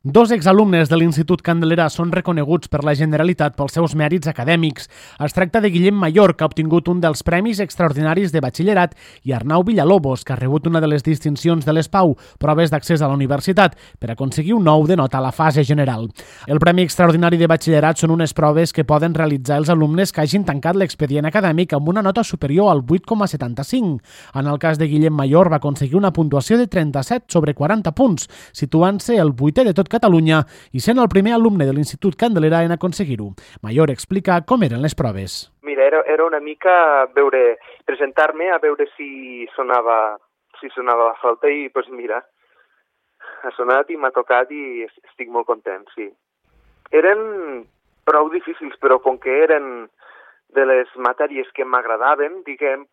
Dos exalumnes de l'Institut Candelera són reconeguts per la Generalitat pels seus mèrits acadèmics. Es tracta de Guillem Mayor, que ha obtingut un dels Premis Extraordinaris de Batxillerat, i Arnau Villalobos, que ha rebut una de les distincions de les PAU, proves d'accés a la universitat, per aconseguir un 9 de nota a la fase general. El Premi Extraordinari de Batxillerat són unes proves que poden realitzar els alumnes que hagin tancat l'expedient acadèmic amb una nota superior al 8,75. En el cas de Guillem Mayor va aconseguir una puntuació de 37 sobre 40 punts, situant-se el 8è de tot Catalunya i sent el primer alumne de l'Institut Candelera en aconseguir-ho. Mayor explica com eren les proves. Mira, era una mica presentar-me a veure si sonava la flauta i, doncs mira, ha sonat i m'ha tocat i estic molt content, sí. Eren prou difícils, però com que eren de les matèries que m'agradaven, diguem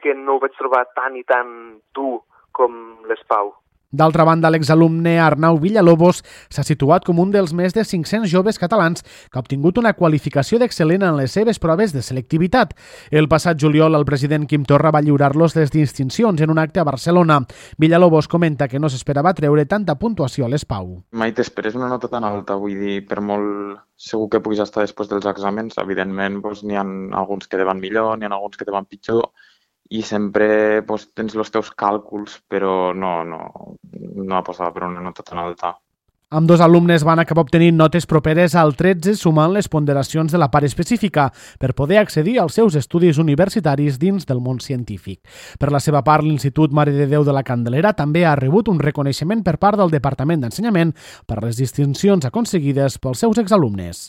que no ho vaig trobar tan i tan dur com les PAU. D'altra banda, l'exalumne Arnau Villalobos s'ha situat com un dels més de 500 joves catalans que ha obtingut una qualificació d'excel·lent en les seves proves de selectivitat. El passat juliol, el president Quim Torra va lliurar-los les distincions en un acte a Barcelona. Villalobos comenta que no s'esperava treure tanta puntuació a les PAU. Mai t'esperes una nota tan alta, vull dir, per molt segur que puguis estar després dels exàmens, evidentment n'hi ha alguns que te van millor, n'hi ha alguns que te van pitjor, i sempre tens els teus càlculs, però no aposava per una nota tan alta. Ambdós alumnes van acabar obtenint notes properes al 13 sumant les ponderacions de la part específica per poder accedir als seus estudis universitaris dins del món científic. Per la seva part, l'Institut Mare de Déu de la Candelera també ha rebut un reconeixement per part del Departament d'Ensenyament per les distincions aconseguides pels seus exalumnes.